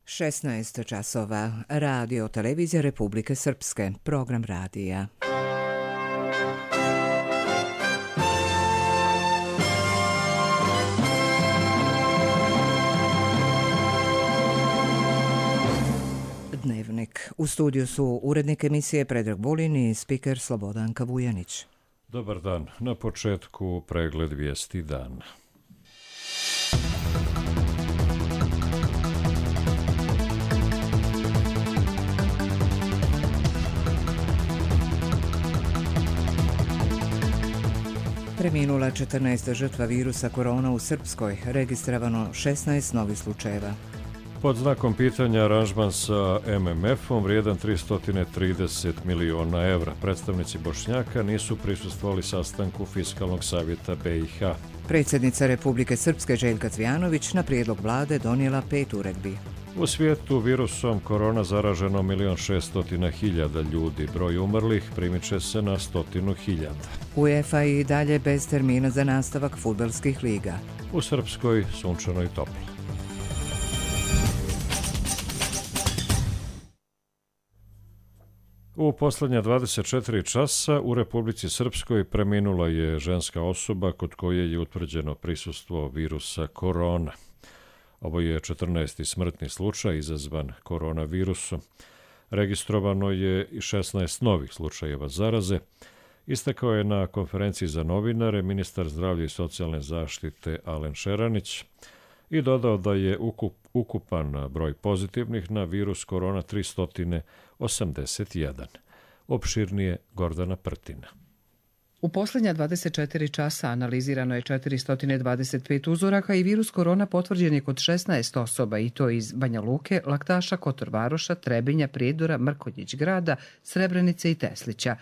16 časova. Radio Televizija Republike Srpske. Program radija. Dnevnik. U studiju su urednik emisije Predrag Vulin i spiker Slobodanka Vujanić. Dobar dan. Na početku pregled vijesti dana. Preminula 14 žrtva virusa korona u Srpskoj, registrovano 16 novih slučajeva. Pod znakom pitanja aranžman sa MMF-om vrijedan 330 miliona evra. Predstavnici Bošnjaka nisu prisustvovali sastanku Fiskalnog savjeta BiH. Predsjednica Republike Srpske Željka Cvijanović na prijedlog vlade donijela 5 uredbi. U svijetu virusom korona zaraženo 1.600.000 ljudi. Broj umrlih primiče se na 100.000. UEFA i dalje bez termina za nastavak fudbalskih liga. U Srpskoj sunčano i toplo. U posljednja 24 časa u Republici Srpskoj preminula je ženska osoba kod koje je utvrđeno prisustvo virusa korona. Ovo je 14. smrtni slučaj izazvan koronavirusom. Registrovano je i 16 novih slučajeva zaraze. Istakao je na konferenciji za novinare ministar zdravlja i socijalne zaštite Alen Šeranić i dodao da je ukupan broj pozitivnih na virus korona 381. Opširnije Gordana Prtina. U posljednja 24 časa analizirano je 425 uzoraka i virus korona potvrđen je kod 16 osoba i to iz Banja Luke, Laktaša, Kotor Varoša, Trebinja, Prijedora, Mrkonjić Grada, Srebrenice i Teslića.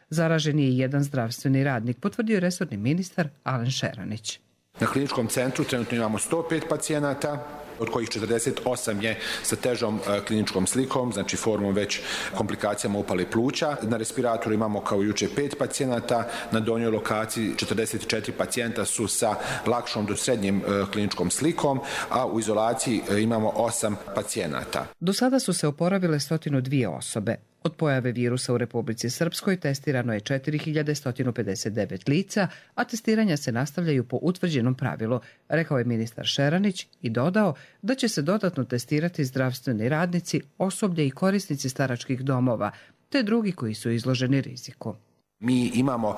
Zaražen je i jedan zdravstveni radnik, potvrdio je resorni ministar Alen Šeranić. Na kliničkom centru trenutno imamo 105 pacijenata, od kojih 48 je sa težom kliničkom slikom, znači formom već komplikacijama upale pluća. Na respiratoru imamo kao juče 5 pacijenata, na donjoj lokaciji 44 pacijenta su sa lakšom do srednjim kliničkom slikom, a u izolaciji imamo 8 pacijenata. Do sada su se oporavile 102 osobe. Od pojave virusa u Republici Srpskoj testirano je 4159 lica, a testiranja se nastavljaju po utvrđenom pravilu, rekao je ministar Šeranić i dodao da će se dodatno testirati zdravstveni radnici, osoblje i korisnici staračkih domova, te drugi koji su izloženi riziku. Mi imamo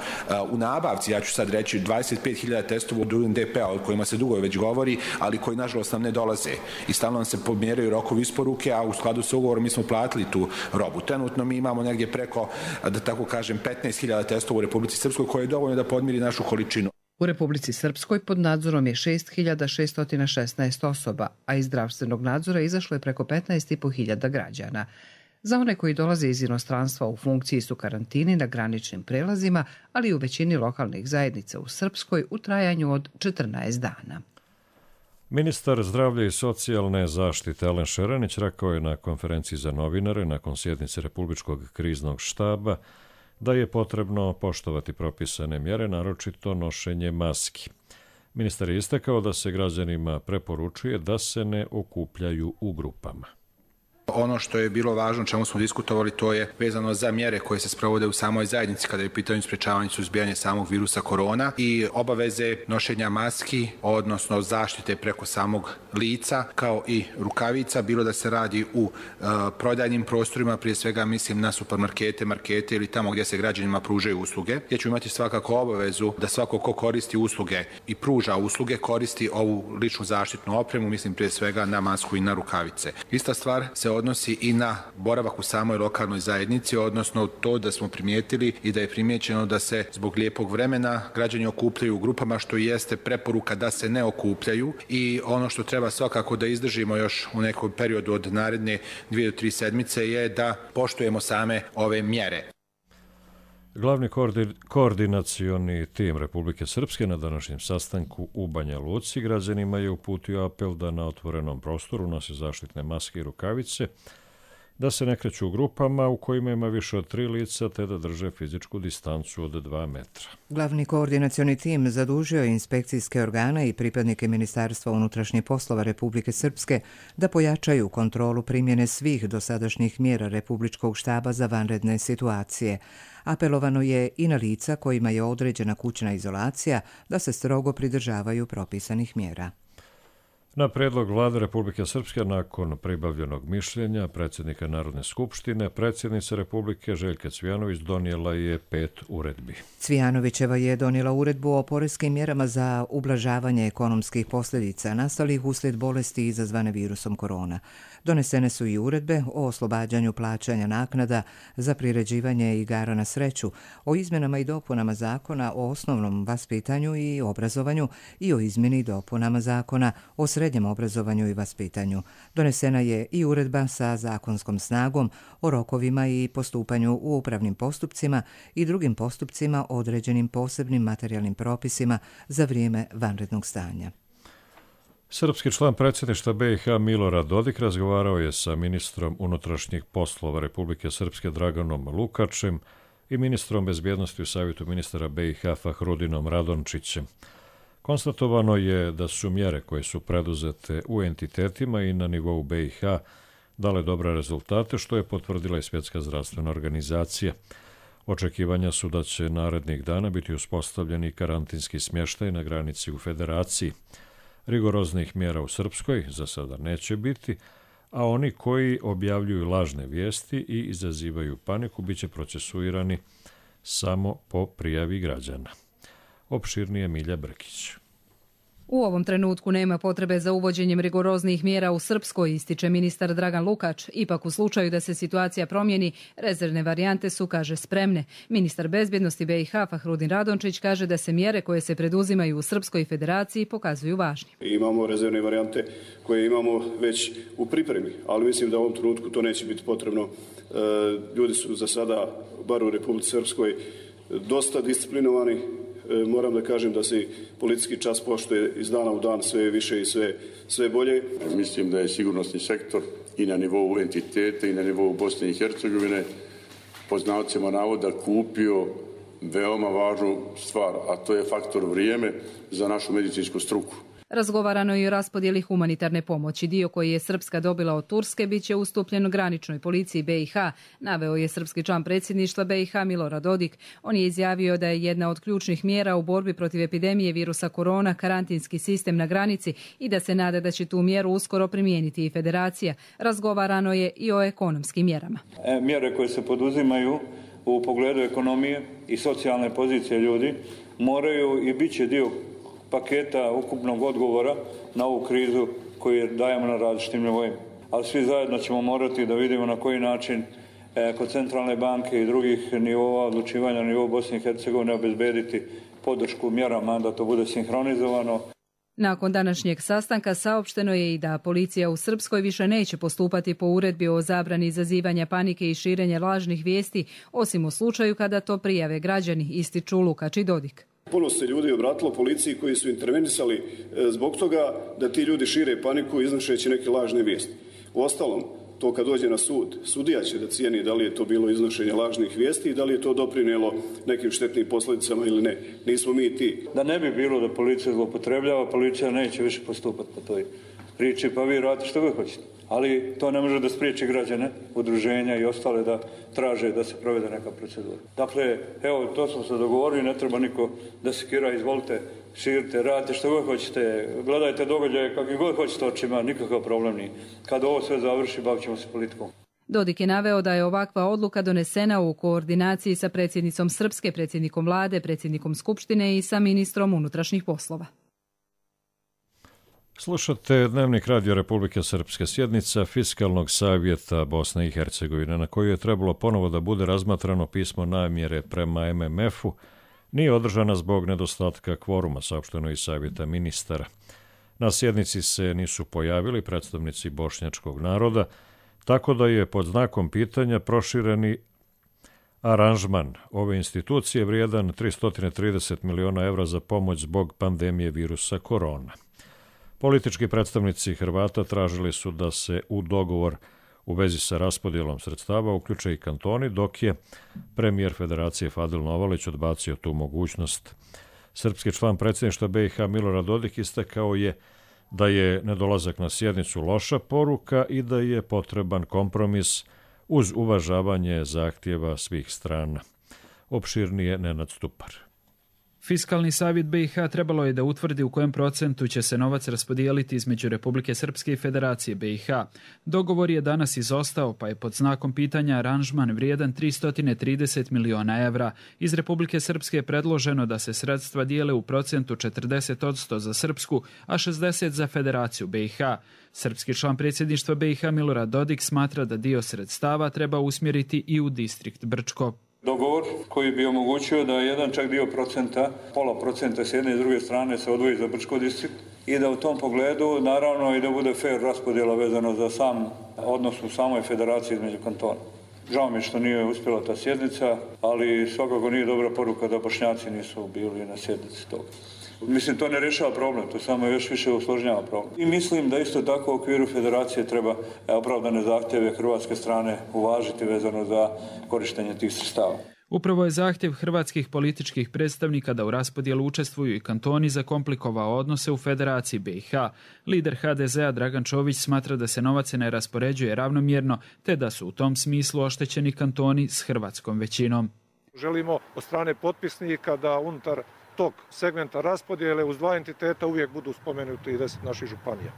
u nabavci, ja ću sad reći, 25.000 testova od UNDP-a, o kojima se dugo već govori, ali koji nažalost nam ne dolaze. I stalno nam se pomjeraju rokovi isporuke, a u skladu sa ugovorom mi smo platili tu robu. Trenutno mi imamo negdje preko, da tako kažem, 15.000 testova u Republici Srpskoj, koje je dovoljno da podmiri našu količinu. U Republici Srpskoj pod nadzorom je 6.616 osoba, a iz zdravstvenog nadzora izašlo je preko 15.500 građana. Za one koji dolaze iz inostranstva u funkciji su karantini na graničnim prelazima, ali i u većini lokalnih zajednica u Srpskoj u trajanju od 14 dana. Ministar zdravlja i socijalne zaštite Alen Šeranić rekao je na konferenciji za novinare nakon sjednice Republičkog kriznog štaba da je potrebno poštovati propisane mjere, naročito nošenje maski. Ministar je istakao da se građanima preporučuje da se ne okupljaju u grupama. Ono što je bilo važno, čemu smo diskutovali, to je vezano za mjere koje se sprovode u samoj zajednici kada je pitanje sprečavanja i suzbijanja samog virusa korona i obaveze nošenja maski, odnosno zaštite preko samog lica, kao i rukavica, bilo da se radi u prodajnim prostorima, prije svega mislim na supermarkete, markete ili tamo gdje se građanima pružaju usluge, gdje ću imati svakako obavezu da svako ko koristi usluge i pruža usluge koristi ovu ličnu zaštitnu opremu, mislim prije svega na masku i na rukavice. Ista stvar se odnosi i na boravak u samoj lokalnoj zajednici, odnosno to da smo primijetili i da je primijećeno da se zbog lijepog vremena građani okupljaju u grupama, što jeste preporuka da se ne okupljaju i ono što treba svakako da izdržimo još u nekom periodu od naredne 2 do 3 sedmice je da poštujemo same ove mjere. Glavni koordinacioni tim Republike Srpske na današnjem sastanku u Banja Luci građanima je uputio apel da na otvorenom prostoru nose zaštitne maske i rukavice da se ne kreću u grupama u kojima ima više od 3 lica te da drže fizičku distancu od 2 metra. Glavni koordinacioni tim zadužio je inspekcijske organe i pripadnike Ministarstva unutrašnjih poslova Republike Srpske da pojačaju kontrolu primjene svih dosadašnjih mjera Republičkog štaba za vanredne situacije. Apelovano je i na lica kojima je određena kućna izolacija da se strogo pridržavaju propisanih mjera. Na predlog Vlade Republike Srpske, nakon pribavljenog mišljenja predsjednika Narodne skupštine, predsjednica Republike Željka Cvijanović donijela je 5 uredbi. Cvijanovićeva je donijela uredbu o poreskim mjerama za ublažavanje ekonomskih posljedica nastalih uslijed bolesti izazvane virusom korona. Donesene su i uredbe o oslobađanju plaćanja naknada za priređivanje igara na sreću, o izmjenama i dopunama zakona o osnovnom vaspitanju i obrazovanju i o izmjeni i dopunama zakona o srednjem obrazovanju i vaspitanju. Donesena je i uredba sa zakonskom snagom o rokovima i postupanju u upravnim postupcima i drugim postupcima određenim posebnim materijalnim propisima za vrijeme vanrednog stanja. Srpski član predsjedništva BiH Milorad Dodik razgovarao je sa ministrom unutrašnjih poslova Republike Srpske Draganom Lukačem i ministrom bezbjednosti u Savjetu ministara BiH Fahrudinom Radončićem. Konstatovano je da su mjere koje su preduzete u entitetima i na nivou BiH dale dobre rezultate, što je potvrdila i Svjetska zdravstvena organizacija. Očekivanja su da će narednih dana biti uspostavljeni karantinski smještaj na granici u Federaciji. Rigoroznih mjera u Srpskoj za sada neće biti, a oni koji objavljuju lažne vijesti i izazivaju paniku biće procesuirani samo po prijavi građana. Opširnije Milja Brkić. U ovom trenutku nema potrebe za uvođenjem rigoroznih mjera u Srpskoj, ističe ministar Dragan Lukač. Ipak u slučaju da se situacija promijeni, rezervne varijante su, kaže, spremne. Ministar bezbjednosti BiH Fahrudin Radončić kaže da se mjere koje se preduzimaju u Srpskoj federaciji pokazuju važnim. Imamo rezervne varijante koje imamo već u pripremi, ali mislim da u ovom trenutku to neće biti potrebno. Ljudi su za sada, bar u Republici Srpskoj, dosta disciplinovani. Moram da kažem da se policijski čas poštuje iz dana u dan sve više i sve bolje. Mislim da je sigurnosni sektor i na nivou entitete i na nivou Bosne i Hercegovine po znacima navoda kupio veoma važnu stvar, a to je faktor vrijeme za našu medicinsku struku. Razgovarano je i o raspodjeli humanitarne pomoći. Dio koji je Srpska dobila od Turske bit će ustupljen graničnoj policiji BiH, naveo je srpski član predsjedništva BiH Milorad Dodik. On je izjavio da je jedna od ključnih mjera u borbi protiv epidemije virusa korona karantinski sistem na granici i da se nada da će tu mjeru uskoro primijeniti i federacija. Razgovarano je i o ekonomskim mjerama. Mjere koje se poduzimaju u pogledu ekonomije i socijalne pozicije ljudi moraju i bit će dio paketa ukupnog odgovora na ovu krizu koju dajemo na različitim nivoima. Ali svi zajedno ćemo morati da vidimo na koji način kod centralne banke i drugih nivova odlučivanja na nivou Bosne i Hercegovine obezbediti podršku mjerama da to bude sinhronizovano. Nakon današnjeg sastanka saopšteno je i da policija u Srpskoj više neće postupati po uredbi o zabrani izazivanja panike i širenja lažnih vijesti, osim u slučaju kada to prijave građani, ističu Lukač i Dodik. Puno se ljudi obratilo policiji koji su intervenisali zbog toga da ti ljudi šire paniku iznošeći neke lažne vijesti. Uostalom, to kad dođe na sud, sudija će da cijeni da li je to bilo iznošenje lažnih vijesti i da li je to doprinijelo nekim štetnim posljedicama ili ne. Nismo mi ti. Da ne bi bilo da policija zloupotrebljava, policija neće više postupati po toj priči, pa vi radite što god hoćete. Ali to ne može da spriječi građane, udruženja i ostale da traže da se provede neka procedura. Dakle, evo, to smo se dogovorili, ne treba niko da sekira, izvolite, širite, radite što god hoćete, gledajte događaje kakvi god hoćete očima, nikakav problem nije. Kad ovo sve završi, bavit ćemo se politikom. Dodik je naveo da je ovakva odluka donesena u koordinaciji sa predsjednicom Srpske, predsjednikom vlade, predsjednikom Skupštine i sa ministrom unutrašnjih poslova. Slušate Dnevnik Radio Republike Srpske, sjednica Fiskalnog savjeta Bosne i Hercegovine, na kojoj je trebalo ponovo da bude razmatrano pismo namjere prema MMF-u, nije održana zbog nedostatka kvoruma, saopšteno iz Savjeta ministara. Na sjednici se nisu pojavili predstavnici bošnjačkog naroda, tako da je pod znakom pitanja prošireni aranžman ove institucije vrijedan 330 miliona evra za pomoć zbog pandemije virusa korona. Politički predstavnici Hrvata tražili su da se u dogovor u vezi sa raspodjelom sredstava uključe i kantoni, dok je premijer Federacije Fadil Novalić odbacio tu mogućnost. Srpski član predsjedništva BiH Milorad Dodik istakao je da je nedolazak na sjednicu loša poruka i da je potreban kompromis uz uvažavanje zahtjeva svih strana. Opširnije Nenad Stupar. Fiskalni savjet BiH trebalo je da utvrdi u kojem procentu će se novac raspodijeliti između Republike Srpske i Federacije BiH. Dogovor je danas izostao, pa je pod znakom pitanja aranžman vrijedan 330 miliona evra. Iz Republike Srpske je predloženo da se sredstva dijele u procentu 40% za Srpsku, a 60% za Federaciju BiH. Srpski član predsjedništva BiH Milorad Dodik smatra da dio sredstava treba usmjeriti i u distrikt Brčko. Dogovor koji bi omogućio da jedan čak dio procenta, pola procenta s jedne i s druge strane se odvoji za Brčko distrikt i da u tom pogledu naravno i da bude fair raspodjela vezano za sam odnos u samoj federaciji između kantona. Žao mi je što nije uspjela ta sjednica, ali svakako nije dobra poruka da Bošnjaci nisu bili na sjednici toga. Mislim, to ne rješava problem, to samo još više usložnjava problem. I mislim da isto tako u okviru federacije treba opravdane zahtjeve hrvatske strane uvažiti vezano za korištenje tih sredstava. Upravo je zahtjev hrvatskih političkih predstavnika da u raspodjelu učestvuju i kantoni zakomplikovao odnose u Federaciji BiH. Lider HDZ-a Dragan Čović smatra da se novac ne raspoređuje ravnomjerno, te da su u tom smislu oštećeni kantoni s hrvatskom većinom. Želimo od strane potpisnika da unutar tog segmenta raspodjele uz dva entiteta uvijek budu spomenuti i 10 naših županija.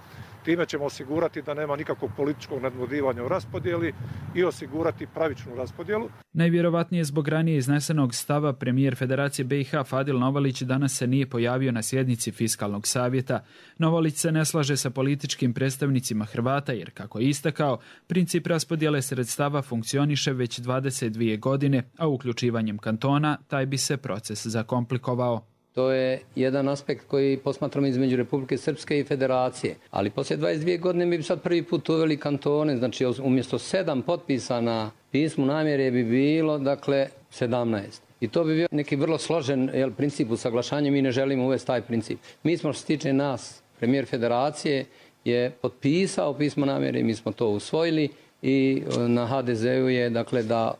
Time ćemo osigurati da nema nikakvog političkog nadmudrivanja u raspodjeli i osigurati pravičnu raspodjelu. Najvjerovatnije zbog ranije iznesenog stava premijer Federacije BiH Fadil Novalić danas se nije pojavio na sjednici Fiskalnog savjeta. Novalić se ne slaže sa političkim predstavnicima Hrvata jer, kako je istakao, princip raspodjele sredstava funkcioniše već 22 godine, a uključivanjem kantona taj bi se proces zakomplikovao. To je jedan aspekt koji posmatramo između Republike Srpske i Federacije. Ali poslije 22 godine mi bi sad prvi put uveli kantone, znači umjesto 7 potpisa na pismu namjere bi bilo, 17. I to bi bio neki vrlo složen princip usaglašanja, mi ne želimo uvesti taj princip. Mi smo, što se tiče nas, premijer Federacije je potpisao pismo namjere i mi smo to usvojili i na HDZ-u je da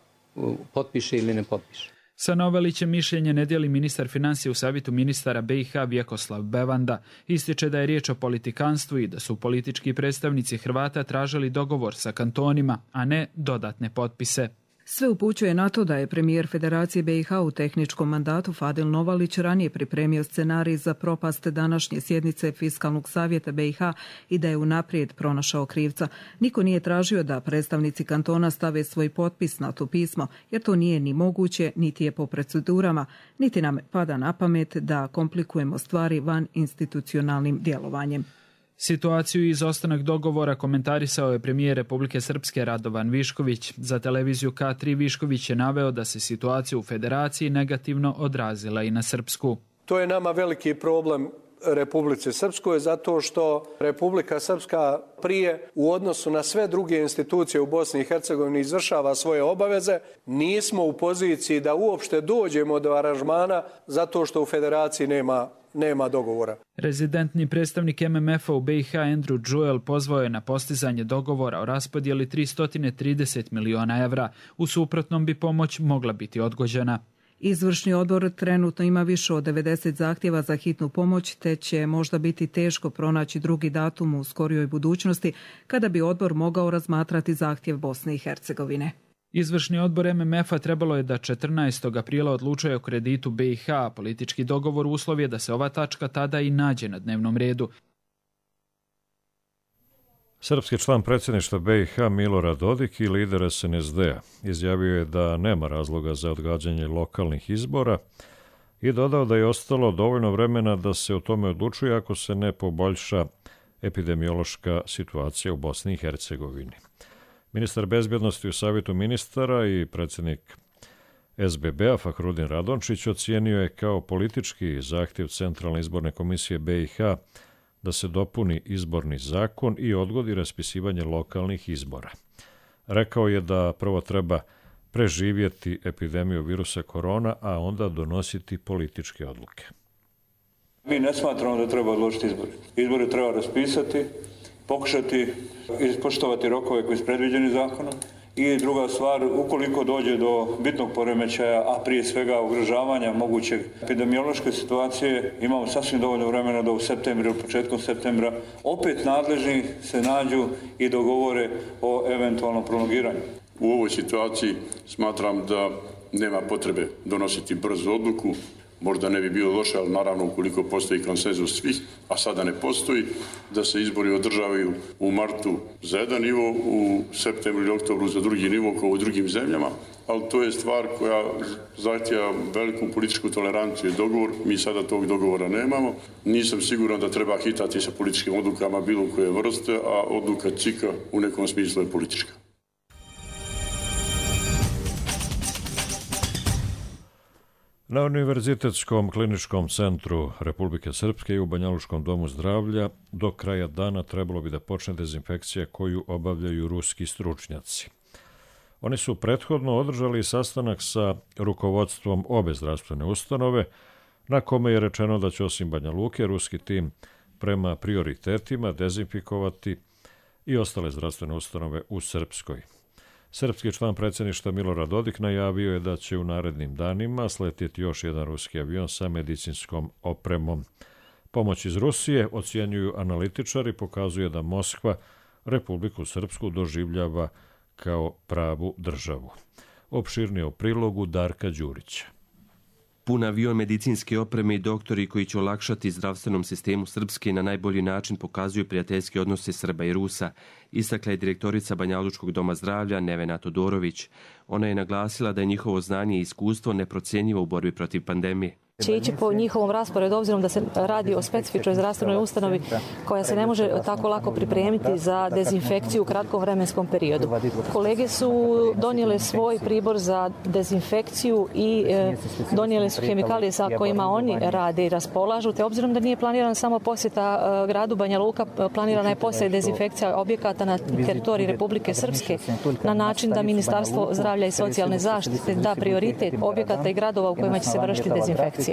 potpiše ili ne potpiše. Sa Novalićem mišljenje ne dijeli ministar financija u savjetu ministara BiH Vjekoslav Bevanda. Ističe da je riječ o politikanstvu i da su politički predstavnici Hrvata tražili dogovor sa kantonima, a ne dodatne potpise. Sve upućuje na to da je premijer Federacije BiH u tehničkom mandatu Fadil Novalić ranije pripremio scenarij za propast današnje sjednice Fiskalnog savjeta BiH i da je unaprijed pronašao krivca. Niko nije tražio da predstavnici kantona stave svoj potpis na to pismo, jer to nije ni moguće, niti je po procedurama, niti nam pada na pamet da komplikujemo stvari van institucionalnim djelovanjem. Situaciju i izostanak dogovora komentarisao je premijer Republike Srpske Radovan Višković. Za televiziju K3 Višković je naveo da se situacija u Federaciji negativno odrazila i na Srpsku. To je nama veliki problem Republike Srpskoj zato što Republika Srpska prije u odnosu na sve druge institucije u Bosni i Hercegovini izvršava svoje obaveze. Nismo u poziciji da uopšte dođemo do aranžmana zato što u Federaciji nema dogovora. Rezidentni predstavnik MMF-a u BiH Andrew Jewell pozvao je na postizanje dogovora o raspodjeli 330 miliona evra. U suprotnom bi pomoć mogla biti odgođena. Izvršni odbor trenutno ima više od 90 zahtjeva za hitnu pomoć, te će možda biti teško pronaći drugi datum u skorijoj budućnosti kada bi odbor mogao razmatrati zahtjev Bosne i Hercegovine. Izvršni odbor MMF-a trebalo je da 14. aprila odlučuje o kreditu BiH. Politički dogovor uslov je da se ova tačka tada i nađe na dnevnom redu. Srpski član predsjedništva BiH Milorad Dodik i lider SNSD-a izjavio je da nema razloga za odgađanje lokalnih izbora i dodao da je ostalo dovoljno vremena da se o tome odlučuje ako se ne poboljša epidemiološka situacija u Bosni i Hercegovini. Ministar bezbjednosti u savjetu ministara i predsjednik SBB-a Fahrudin Radončić ocijenio je kao politički zahtjev Centralne izborne komisije BiH da se dopuni izborni zakon i odgodi raspisivanje lokalnih izbora. Rekao je da prvo treba preživjeti epidemiju virusa korona, a onda donositi političke odluke. Mi ne smatramo da treba odložiti izbore. Izbore treba raspisati pokušati ispoštovati rokove koji su predviđeni zakonom. I druga stvar, ukoliko dođe do bitnog poremećaja, a prije svega ugrožavanja mogućeg epidemiološke situacije, imamo sasvim dovoljno vremena da u septembru ili početkom septembra opet nadležni se nađu i dogovore o eventualnom prolongiranju. U ovoj situaciji smatram da nema potrebe donositi brzu odluku. Možda ne bi bilo loše, ali naravno ukoliko postoji konsenzus svih, a sada ne postoji, da se izbori održavaju u martu za jedan nivo, u septembru ili oktobru za drugi nivo kao u drugim zemljama, ali to je stvar koja zahtjeva veliku političku toleranciju i dogovor. Mi sada tog dogovora nemamo. Nisam siguran da treba hitati sa političkim odlukama bilo koje vrste, a odluka CIK-a u nekom smislu je politička. Na Univerzitetskom kliničkom centru Republike Srpske i u Banjalučkom domu zdravlja do kraja dana trebalo bi da počne dezinfekcija koju obavljaju ruski stručnjaci. Oni su prethodno održali sastanak sa rukovodstvom obe zdravstvene ustanove, na kome je rečeno da će osim Banja Luke ruski tim prema prioritetima dezinfikovati i ostale zdravstvene ustanove u Srpskoj. Srpski član predsjedništva Milorad Dodik najavio je da će u narednim danima sletjeti još jedan ruski avion sa medicinskom opremom. Pomoć iz Rusije, ocjenjuju analitičari, pokazuje da Moskva Republiku Srpsku doživljava kao pravu državu. Opširnije u prilogu Darka Đurića. Pun avion medicinske opreme i doktori koji će olakšati zdravstvenom sistemu Srpske na najbolji način pokazuju prijateljske odnose Srba i Rusa, istakla je direktorica Banjalučkog doma zdravlja Nevena Todorović. Ona je naglasila da je njihovo znanje i iskustvo neprocjenjivo u borbi protiv pandemije. Će ići po njihovom rasporedu, obzirom da se radi o specifičnoj zdravstvenoj ustanovi koja se ne može tako lako pripremiti za dezinfekciju u kratkom vremenskom periodu. Kolege su donijele svoj pribor za dezinfekciju i donijele su hemikalije sa kojima oni rade i raspolažu, te obzirom da nije planirana samo posjeta gradu Banja Luka, planirana je posjeta i dezinfekcija objekata na teritoriji Republike Srpske na način da Ministarstvo zdravlja i socijalne zaštite da prioritet objekata i gradova u kojima će se vršiti dezinfekcija.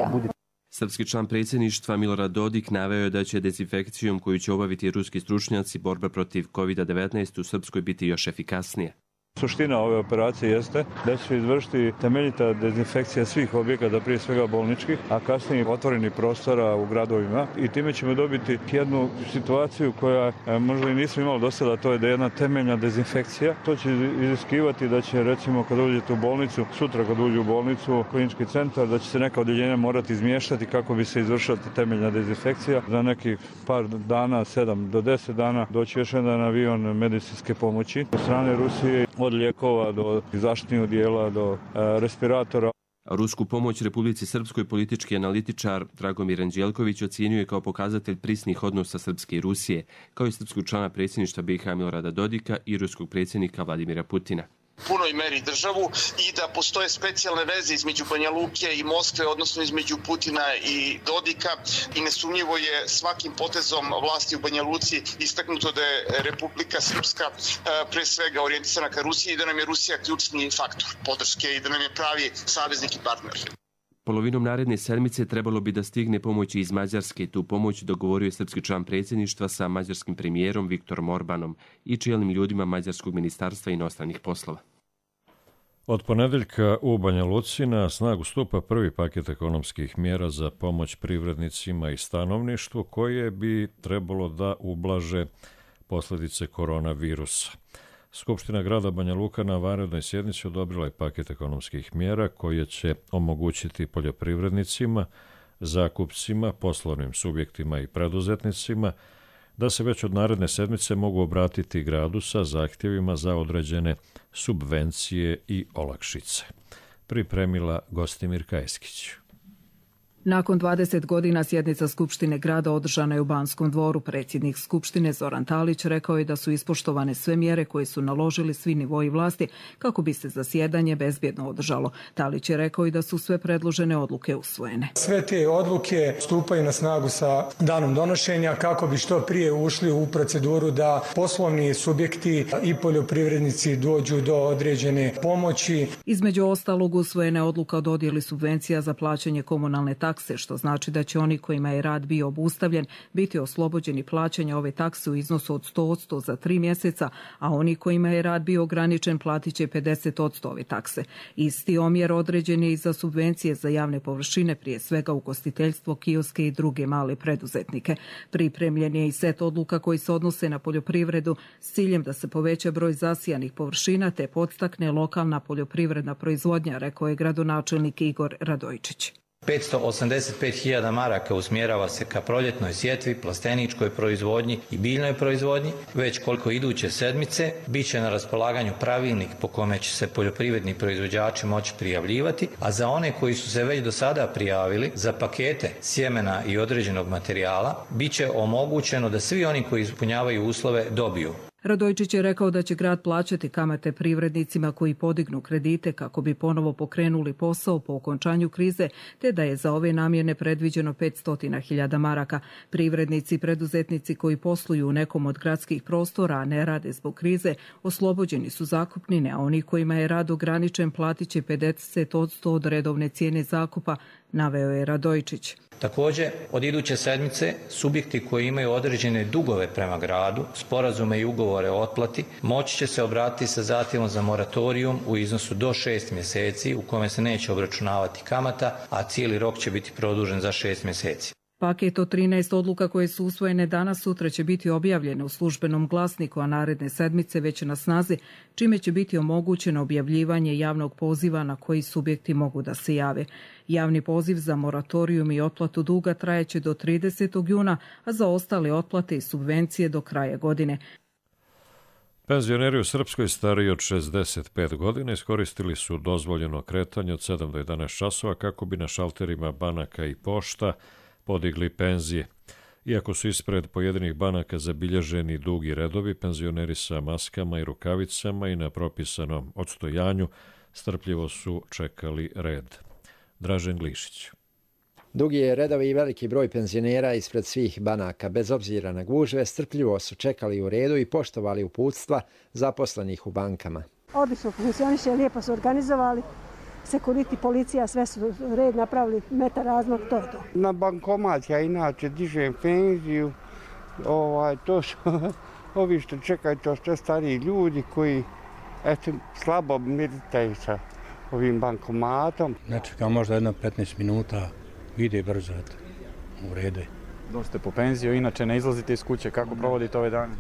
Srpski član predsjedništva Milorad Dodik naveo je da će dezinfekcijom koju će obaviti ruski stručnjaci borba protiv COVID-19 u Srpskoj biti još efikasnija. Suština ove operacije jeste da će se izvršiti temeljita dezinfekcija svih objekata, prije svega bolničkih, a kasnije otvorenih prostora u gradovima, i time ćemo dobiti jednu situaciju koja možda i nismo imali do sada, to je da je jedna temeljna dezinfekcija. To će iziskivati da će, recimo, kad uđete u bolnicu, sutra kad uđe u bolnicu, klinički centar, da će se neka odjeljenja morati izmještati kako bi se izvršila temeljna dezinfekcija. Za nekih par dana, 7 do 10 dana, doći još jedan avion medicinske pomoći od strane Rusije, od lijekova do zaštitnih odijela, do respiratora. Rusku pomoć Republici Srpskoj politički analitičar Dragomir Anđelković ocjenjuje kao pokazatelj prisnih odnosa Srpske i Rusije, kao i srpskog člana predsjedništva BiH Milorada Dodika i ruskog predsjednika Vladimira Putina. Punoj meri državu i da postoje specijalne veze između Banja Luke i Moskve, odnosno između Putina i Dodika, i nesumnjivo je svakim potezom vlasti u Banja Luci istaknuto da je Republika Srpska pre svega orijentisana ka Rusiji i da nam je Rusija ključni faktor podrške i da nam je pravi saveznik i partner. Polovinom naredne sedmice trebalo bi da stigne pomoć iz Mađarske. Tu pomoć dogovorio je srpski član predsjedništva sa mađarskim premijerom Viktorom Orbanom i čelnim ljudima Mađarskog ministarstva inostranih poslova. Od ponedeljka u Banja Luci na snagu stupa prvi paket ekonomskih mjera za pomoć privrednicima i stanovništvu koje bi trebalo da ublaže posljedice koronavirusa. Skupština grada Banja Luka na vanrednoj sjednici odobrila je paket ekonomskih mjera koje će omogućiti poljoprivrednicima, zakupcima, poslovnim subjektima i preduzetnicima da se već od naredne sedmice mogu obratiti gradu sa zahtjevima za određene subvencije i olakšice. Pripremila Gostimir Kajskić. Nakon 20 godina sjednica Skupštine grada održana je u Banskom dvoru. Predsjednik Skupštine Zoran Talić rekao je da su ispoštovane sve mjere koje su naložili svi nivoji vlasti kako bi se zasjedanje bezbjedno održalo. Talić je rekao i da su sve predložene odluke usvojene. Sve te odluke stupaju na snagu sa danom donošenja kako bi što prije ušli u proceduru da poslovni subjekti i poljoprivrednici dođu do određene pomoći. Između ostalog usvojena je odluka o dodjeli subvencija za plaćanje komunalne takse takse, što znači da će oni kojima je rad bio obustavljen biti oslobođeni plaćanja ove takse u iznosu od 100% za 3 mjeseca, a oni kojima je rad bio ograničen platit će 50% ove takse. Isti omjer određen je i za subvencije za javne površine, prije svega ugostiteljstvo, kioske i druge male preduzetnike. Pripremljen je i set odluka koji se odnose na poljoprivredu s ciljem da se poveća broj zasijanih površina te podstakne lokalna poljoprivredna proizvodnja, rekao je gradonačelnik Igor Radojčić. 585.000 maraka usmjerava se ka proljetnoj sjetvi, plasteničkoj proizvodnji i biljnoj proizvodnji. Već koliko iduće sedmice bit će na raspolaganju pravilnik po kome će se poljoprivredni proizvođači moći prijavljivati, a za one koji su se već do sada prijavili za pakete sjemena i određenog materijala bit će omogućeno da svi oni koji ispunjavaju uslove dobiju. Radojčić je rekao da će grad plaćati kamate privrednicima koji podignu kredite kako bi ponovo pokrenuli posao po okončanju krize, te da je za ove namjene predviđeno 500.000 maraka. Privrednici i preduzetnici koji posluju u nekom od gradskih prostora, a ne rade zbog krize, oslobođeni su zakupnine, a oni kojima je rad ograničen platit će 50% od redovne cijene zakupa, naveo je Radojčić. Također, od iduće sedmice subjekti koji imaju određene dugove prema gradu, sporazume i ugovore o otplati, moći će se obratiti sa zahtjevom za moratorijum u iznosu do 6 mjeseci u kome se neće obračunavati kamata, a cijeli rok će biti produžen za 6 mjeseci. Paket od 13 odluka koje su usvojene danas sutra će biti objavljene u službenom glasniku, a naredne sedmice već na snazi, čime će biti omogućeno objavljivanje javnog poziva na koji subjekti mogu da se jave. Javni poziv za moratorijum i otplatu duga trajeće do 30. juna, a za ostale otplate i subvencije do kraja godine. Penzioneri u Srpskoj stariji od 65 godina iskoristili su dozvoljeno kretanje od 7 do 11 časova kako bi na šalterima banaka i pošta podigli penzije. Iako su ispred pojedinih banaka zabilježeni dugi redovi, penzioneri sa maskama i rukavicama i na propisanom odstojanju strpljivo su čekali red. Dražen Glišić. Dugi je redovi i veliki broj penzionera ispred svih banaka. Bez obzira na gužve, strpljivo su čekali u redu i poštovali uputstva zaposlenih u bankama. Odlično funkcioniše, lijepo su organizovali. Sekuriti, policija, sve su red napravili, metar razmak, to je to. Na bankomat ja inače dižem penziju, to su ovi što čekaju, to što stariji ljudi koji slabo meditaju sa ovim bankomatom. Ne čekam možda jedno 15 minuta, ide brzo, u redu. Doste po penziju, inače ne izlazite iz kuće, kako provodite ove dane?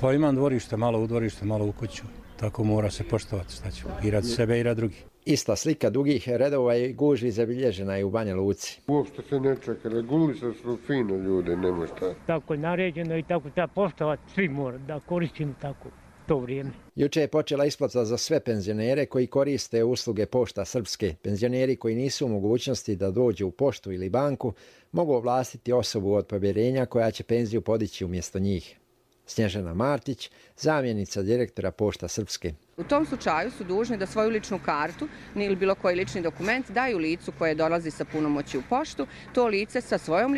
Pa imam dvorište, malo u dvorište, malo u kuću, tako mora se poštovati, šta ću, i rad sebe i rad drugih. Ista slika dugih redova i gužvi zabilježena je u Banja Luci. Uopšte se ne čeka, regulisali su fino ljude, nema šta. Tako je naređeno i tako treba poštovati, svi mora da koristimo tako to vrijeme. Juče je počela isplata za sve penzionere koji koriste usluge Pošta Srpske. Penzioneri koji nisu u mogućnosti da dođu u poštu ili banku mogu ovlastiti osobu od povjerenja koja će penziju podići umjesto njih. Snježana Martić, zamjenica direktora Pošta Srpske. U tom slučaju su dužni da svoju ličnu kartu ili bilo koji lični dokument daju licu koje dolazi sa punomoći u poštu. To lice sa svojom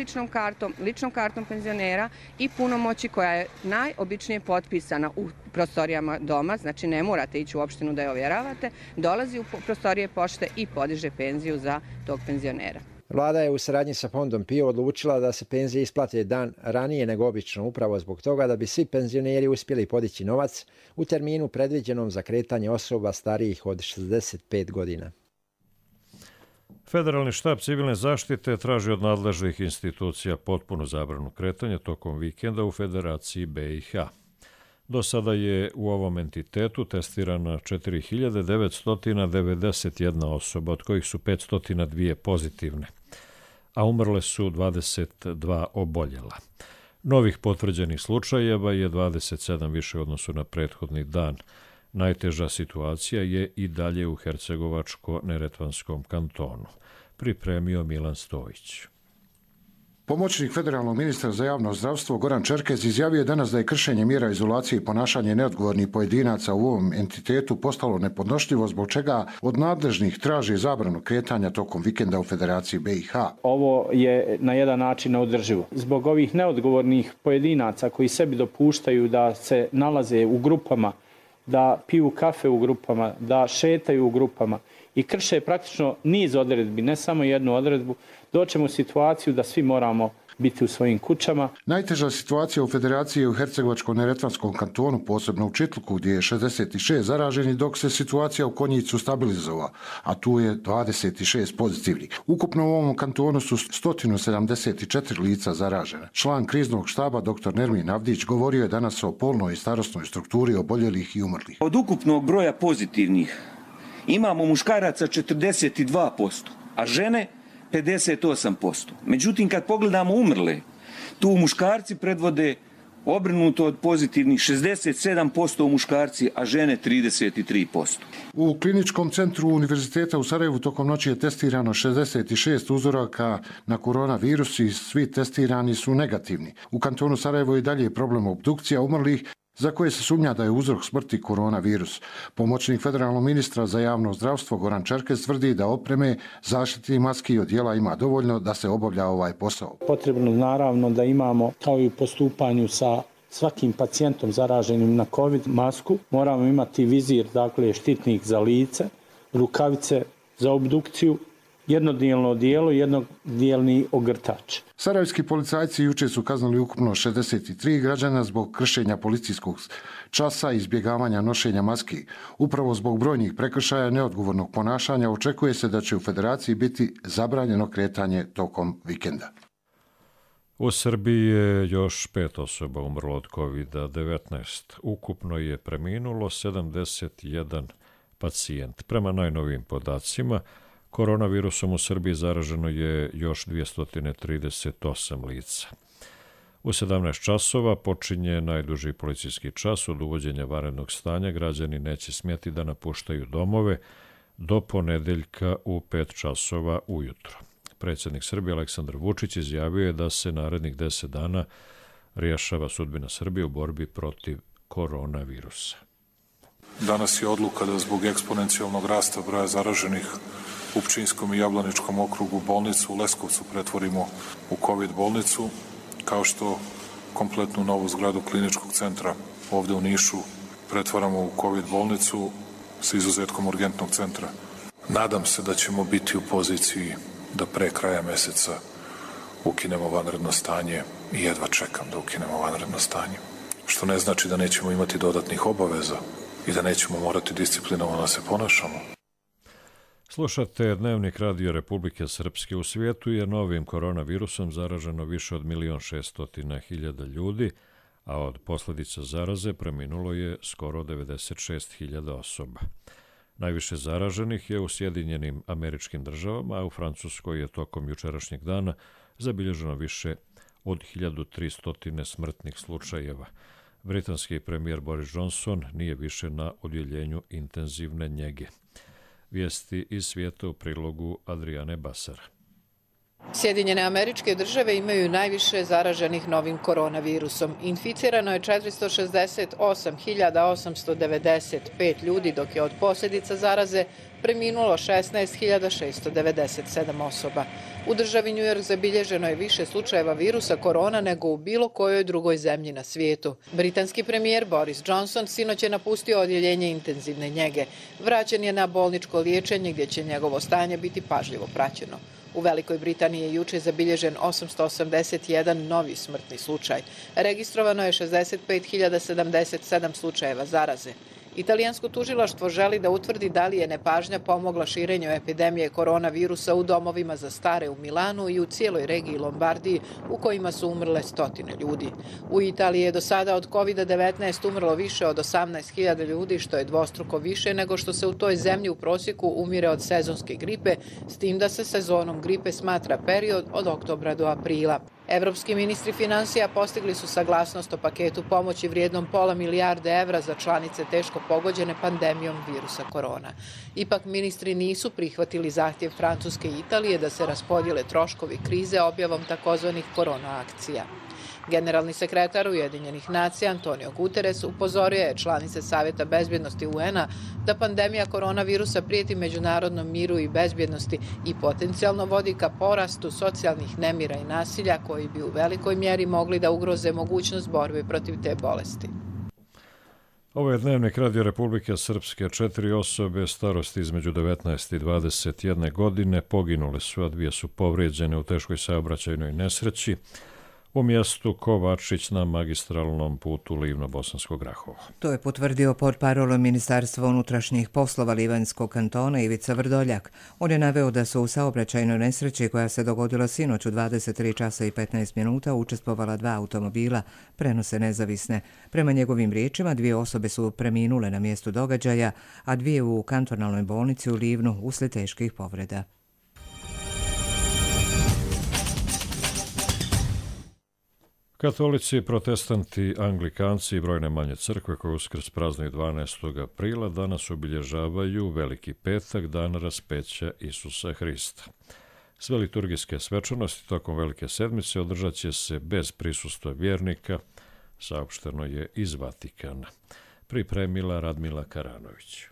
ličnom kartom penzionera i punomoći koja je najobičnije potpisana u prostorijama doma, znači ne morate ići u opštinu da je ovjeravate, dolazi u prostorije pošte i podiže penziju za tog penzionera. Vlada je u saradnji sa Fondom PIO odlučila da se penzije isplate dan ranije nego obično, upravo zbog toga da bi svi penzioneri uspjeli podići novac u terminu predviđenom za kretanje osoba starijih od 65 godina. Federalni štab civilne zaštite traži od nadležnih institucija potpunu zabranu kretanja tokom vikenda u Federaciji BiH. Do sada je u ovom entitetu testirana 4.991 osoba, od kojih su 502 pozitivne, a umrle su 22 oboljela. Novih potvrđenih slučajeva je 27 više u odnosu na prethodni dan. Najteža situacija je i dalje u Hercegovačko-Neretvanskom kantonu. Pripremio Milan Stojić. Pomoćnik federalnog ministra za javno zdravstvo Goran Čerkez izjavio je danas da je kršenje mjera izolacije i ponašanje neodgovornih pojedinaca u ovom entitetu postalo nepodnošljivo, zbog čega od nadležnih traži zabranu kretanja tokom vikenda u Federaciji BiH. Ovo je na jedan način neodrživo. Zbog ovih neodgovornih pojedinaca koji sebi dopuštaju da se nalaze u grupama, da piju kafe u grupama, da šetaju u grupama i krše praktično niz odredbi, ne samo jednu odredbu, doćemo u situaciju da svi moramo biti u svojim kućama. Najteža situacija u Federaciji je u Hercegovačko-neretvanskom kantonu, posebno u Čitluku, gdje je 66 zaraženih, dok se situacija u Konjicu stabilizova, a tu je 26 pozitivnih. Ukupno u ovom kantonu su 174 lica zaražena. Član kriznog štaba dr. Nermin Avdić govorio je danas o polnoj i starosnoj strukturi oboljelih i umrlih. Od ukupnog broja pozitivnih imamo muškaraca 42%, a žene 58%. Međutim, kad pogledamo umrle, tu muškarci predvode obrnuto od pozitivnih 67% muškarci, a žene 33%. U kliničkom centru Univerziteta u Sarajevu tokom noći je testirano 66 uzoraka na koronavirus i svi testirani su negativni. U kantonu Sarajevo je dalje problem obdukcija umrlih, za koje se sumnja da je uzrok smrti koronavirus. Pomoćnik federalnog ministra za javno zdravstvo Goran Čerkez tvrdi da opreme, zaštitnih maski i odjela ima dovoljno da se obavlja ovaj posao. Potrebno naravno da imamo, kao i u postupanju sa svakim pacijentom zaraženim na COVID masku, moramo imati vizir, dakle štitnik za lice, rukavice za obdukciju, jednodijelno odijelo i jednodijelni ogrtač. Sarajevski policajci juče su kaznili ukupno 63 građana zbog kršenja policijskog časa i izbjegavanja nošenja maski. Upravo zbog brojnih prekršaja neodgovornog ponašanja očekuje se da će u Federaciji biti zabranjeno kretanje tokom vikenda. U Srbiji je još 5 osoba umrlo od COVID-19. Ukupno je preminulo 71 pacijent. Prema najnovijim podacima, koronavirusom u Srbiji zaraženo je još 238 lica. U 17 časova počinje najduži policijski čas od uvođenja vanrednog stanja. Građani neće smjeti da napuštaju domove do ponedeljka u 5 časova ujutro. Predsjednik Srbije Aleksandar Vučić izjavio je da se narednih 10 dana rješava sudbina Srbije u borbi protiv koronavirusa. Danas je odluka da zbog eksponencijalnog rasta broja zaraženih u Pčinjskom i Jablaničkom okrugu bolnicu u Leskovcu pretvorimo u COVID bolnicu, kao što kompletnu novu zgradu kliničkog centra ovdje u Nišu pretvaramo u COVID bolnicu sa izuzetkom urgentnog centra. Nadam se da ćemo biti u poziciji da pre kraja mjeseca ukinemo vanredno stanje i jedva čekam da ukinemo vanredno stanje. Što ne znači da nećemo imati dodatnih obaveza i da nećemo morati disciplinovano se ponašamo. Slušate Dnevnik Radio Republike Srpske. U svijetu je novim koronavirusom zaraženo više od 1.600.000 ljudi, a od posljedica zaraze preminulo je skoro 96.000 osoba. Najviše zaraženih je u Sjedinjenim Američkim Državama, a u Francuskoj je tokom jučerašnjeg dana zabilježeno više od 1.300 smrtnih slučajeva. Britanski premijer Boris Johnson nije više na odjeljenju intenzivne njege. Vijesti iz svijeta u prilogu Adriane Basara. Sjedinjene Američke Države imaju najviše zaraženih novim koronavirusom. Inficirano je 468.895 ljudi, dok je od posljedica zaraze preminulo 16.697 osoba. U državi New York zabilježeno je više slučajeva virusa korona nego u bilo kojoj drugoj zemlji na svijetu. Britanski premijer Boris Johnson sinoć je napustio odjeljenje intenzivne njege. Vraćen je na bolničko liječenje gdje će njegovo stanje biti pažljivo praćeno. U Velikoj Britaniji je juče zabilježen 881 novi smrtni slučaj. Registrovano je 65.077 slučajeva zaraze. Italijansko tužilaštvo želi da utvrdi da li je nepažnja pomogla širenju epidemije koronavirusa u domovima za stare u Milanu i u cijeloj regiji Lombardiji u kojima su umrle stotine ljudi. U Italiji je do sada od COVID-19 umrlo više od 18.000 ljudi, što je dvostruko više nego što se u toj zemlji u prosjeku umire od sezonske gripe, s tim da se sezonom gripe smatra period od oktobra do aprila. Evropski ministri financija postigli su saglasnost o paketu pomoći vrijednom £500 milijarde za članice teško pogođene pandemijom virusa korona. Ipak ministri nisu prihvatili zahtjev Francuske i Italije da se raspodijele troškovi krize objavom takozvanih korona akcija. Generalni sekretar Ujedinjenih nacija Antonio Guterres upozorio je članice Savjeta bezbjednosti UN-a da pandemija koronavirusa prijeti međunarodnom miru i bezbjednosti i potencijalno vodi ka porastu socijalnih nemira i nasilja koji bi u velikoj mjeri mogli da ugroze mogućnost borbe protiv te bolesti. Ovo je Dnevnik Radio Republike Srpske. 4 osobe starosti između 19 i 21 godine poginule su, a 2 su povrijeđene u teškoj saobraćajnoj nesreći u mjestu Kovačić na magistralnom putu Livno-Bosanskog Rahova. To je potvrdio portparol Ministarstva unutrašnjih poslova Livanjskog kantona Ivica Vrdoljak. On je naveo da su u saobraćajnoj nesreći koja se dogodila sinoć u 23 časa i 15 minuta učestvovala 2 automobila, prenose nezavisne. Prema njegovim riječima 2 osobe su preminule na mjestu događaja, a 2 u kantonalnoj bolnici u Livnu uslijed teških povreda. Katolici, protestanti, anglikanci i brojne manje crkve koje Uskrs praznuju 12. aprila danas obilježavaju Veliki petak, dan raspeća Isusa Hrista. Sve liturgijske svečanosti tokom Velike sedmice održat će se bez prisustva vjernika, saopšteno je iz Vatikana. Pripremila Radmila Karanović.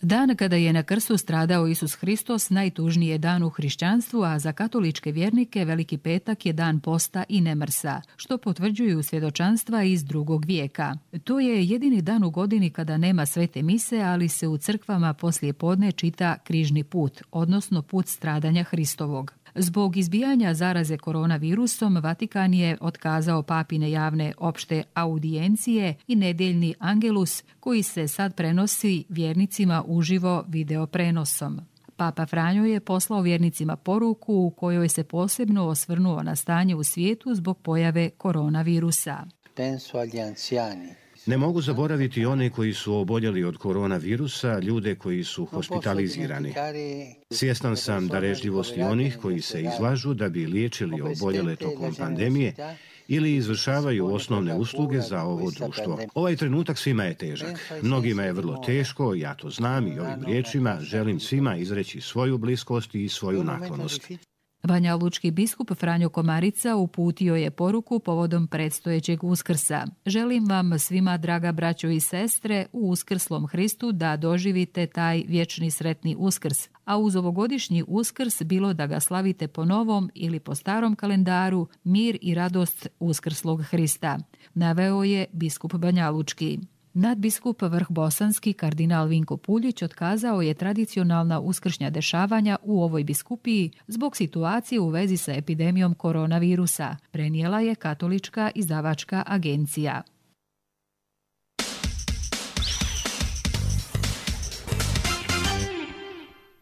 Dan kada je na krstu stradao Isus Hristos najtužniji je dan u hrišćanstvu, a za katoličke vjernike Veliki petak je dan posta i nemrsa, što potvrđuju svjedočanstva iz 2. vijeka. To je jedini dan u godini kada nema svete mise, ali se u crkvama poslije podne čita križni put, odnosno put stradanja Hristovog. Zbog izbijanja zaraze koronavirusom, Vatikan je otkazao papine javne opšte audijencije i nedjeljni angelus koji se sad prenosi vjernicima uživo videoprenosom. Papa Franjo je poslao vjernicima poruku u kojoj se posebno osvrnuo na stanje u svijetu zbog pojave koronavirusa. Penso agli anziani. Ne mogu zaboraviti one koji su oboljeli od koronavirusa, ljude koji su hospitalizirani. Svjestan sam darežljivosti onih koji se izlažu da bi liječili oboljele tokom pandemije ili izvršavaju osnovne usluge za ovo društvo. Ovaj trenutak svima je težak. Mnogima je vrlo teško, ja to znam i ovim riječima želim svima izreći svoju bliskost i svoju naklonost. Banjalučki biskup Franjo Komarica uputio je poruku povodom predstojećeg Uskrsa. Želim vam svima, draga braćo i sestre, u uskrslom Hristu da doživite taj vječni sretni Uskrs, a uz ovogodišnji Uskrs, bilo da ga slavite po novom ili po starom kalendaru, mir i radost uskrslog Hrista, naveo je biskup Banjalučki. Nadbiskup Vrh Bosanski kardinal Vinko Puljić otkazao je tradicionalna uskršnja dešavanja u ovoj biskupiji zbog situacije u vezi sa epidemijom koronavirusa, prenijela je katolička izdavačka agencija.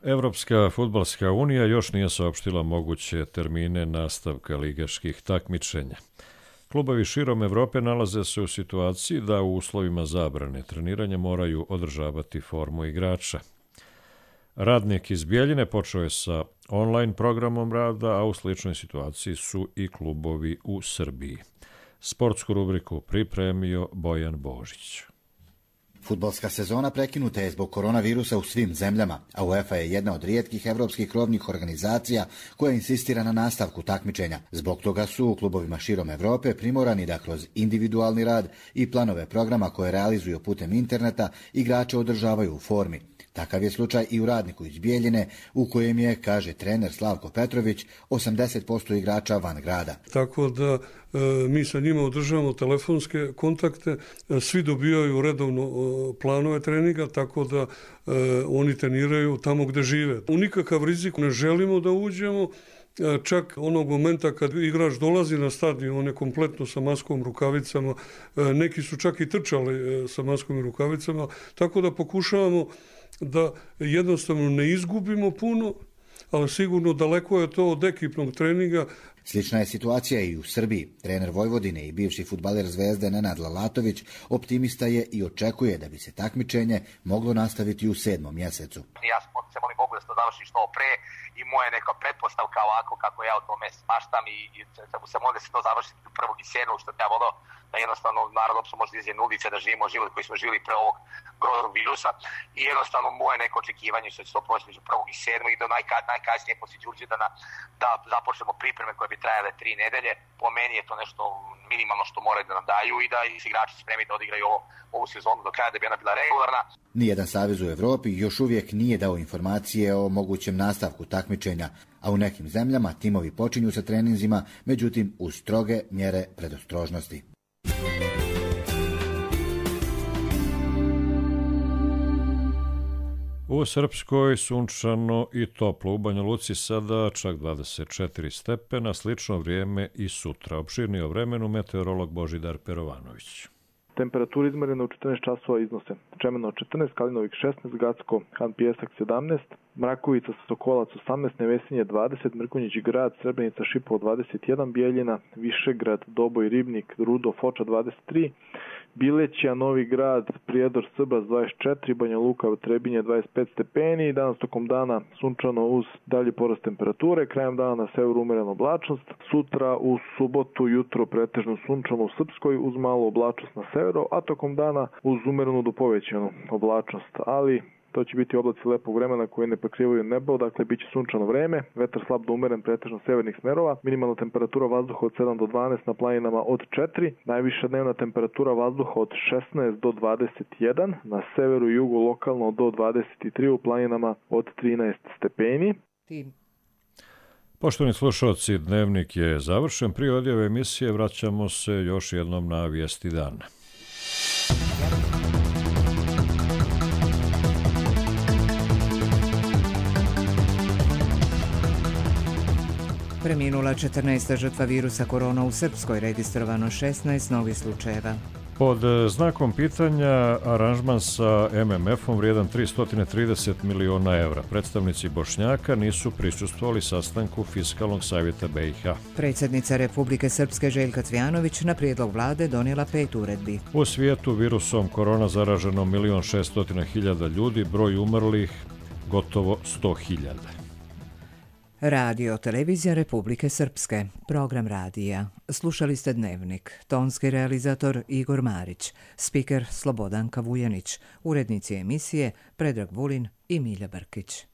Evropska fudbalska unija još nije saopštila moguće termine nastavka ligaških takmičenja. Klubovi širom Evrope nalaze se u situaciji da u uslovima zabrane treniranja moraju održavati formu igrača. Radnik iz Bjeljine počeo je sa online programom rada, a u sličnoj situaciji su i klubovi u Srbiji. Sportsku rubriku pripremio Bojan Božić. Fudbalska sezona prekinuta je zbog koronavirusa u svim zemljama, a UEFA je jedna od rijetkih evropskih krovnih organizacija koja insistira na nastavku takmičenja. Zbog toga su u klubovima širom Evrope primorani da kroz individualni rad i planove programa koje realizuju putem interneta igrače održavaju u formi. Takav je slučaj i u Radniku iz Bijeljine, u kojem je, kaže trener Slavko Petrović, 80% igrača van grada. Tako da mi sa njima održavamo telefonske kontakte, svi dobijaju redovno planove treninga, tako da oni treniraju tamo gde žive. U nikakav rizik ne želimo da uđemo, čak onog momenta kad igrač dolazi na stadion, on je kompletno sa maskom, rukavicama, neki su čak i trčali sa maskom i rukavicama, tako da pokušavamo da jednostavno ne izgubimo puno, ali sigurno daleko je to od ekipnog treninga. Slična je situacija i u Srbiji. Trener Vojvodine i bivši fudbaler Zvezde Nenad Lalatović optimista je i očekuje da bi se takmičenje moglo nastaviti u 7. mjesecu. Ja se molim Bogu da se to završi što pre i moja neka pretpostavka ovako kako ja o tome smaštam i se molim da se to završi 1. i 7. što ja volio da jednostavno narod opšte može da izjene ulice, da živimo život koji smo živjeli pre ovog groznog virusa i jednostavno moje neko očekivanje što će to proći među 1. i 7. i do najkasnije poslije Đurđevdana da započnemo pripreme koje bi trajale 3 nedelje. Po meni je to nešto minimalno što moraju da nam daju i da se igrači spremi da odigraju ovu sezonu do kraja da bi ona bila regularna. Nijedan savez u Evropi još uvijek nije dao informacije o mogućem nastavku takmičenja, a u nekim zemljama timovi počinju sa treninzima, međutim uz stroge mjere predostrožnosti. U Srpskoj sunčano i toplo. U Banja Luci sada čak 24 stepena, slično vrijeme i sutra. Opširnije o vremenu meteorolog Božidar Perovanović. Temperature izmerene u 14 časova iznose Čemeno 14, Kalinovik 16, Gacko, Han Pijesak 17, Mrakovica, Sokolac 18, Nevesinje 20, Mrkonjić Grad, Srebrenica, Šipovo 21, Bijeljina, Višegrad, Doboj, Ribnik, Rudo, Foča 23, Bileća, Novi Grad, Prijedor, Srbas 24, Banja Luka, Trebinje 25 stepeni. Danas tokom dana sunčano uz dalje porast temperature. Krajem dana na severu umerena oblačnost. Sutra u subotu jutro pretežno sunčano u Srpskoj uz malu oblačnost na severu, a tokom dana uz umerenu do povećanu oblačnost. Ali to će biti oblaci lepog vremena koji ne pokrivaju nebo, dakle bit će sunčano vreme, vetar slab do umeren pretežno severnih smerova, minimalna temperatura vazduha od 7 do 12, na planinama od 4, najviša dnevna temperatura vazduha od 16 do 21, na severu i jugu lokalno do 23, u planinama od 13 stepeni. Poštovani slušalci, dnevnik je završen. Prije odjave emisije vraćamo se još jednom na vijesti dana. Preminula 14. žrtva virusa korona u Srpskoj, registrovano 16 novih slučajeva. Pod znakom pitanja aranžman sa MMF-om vrijedan 330 miliona evra. Predstavnici Bošnjaka nisu prisustvovali sastanku Fiskalnog savjeta BiH. Predsjednica Republike Srpske Željka Cvjanović na prijedlog vlade donijela 5 uredbi. U svijetu virusom korona zaraženo 1.600.000 ljudi, broj umrlih gotovo 100.000. Radio Televizija Republike Srpske, program radija. Slušali ste Dnevnik, tonski realizator Igor Marić, spiker Slobodanka Vujanić, urednici emisije Predrag Vulin i Milja Brkić.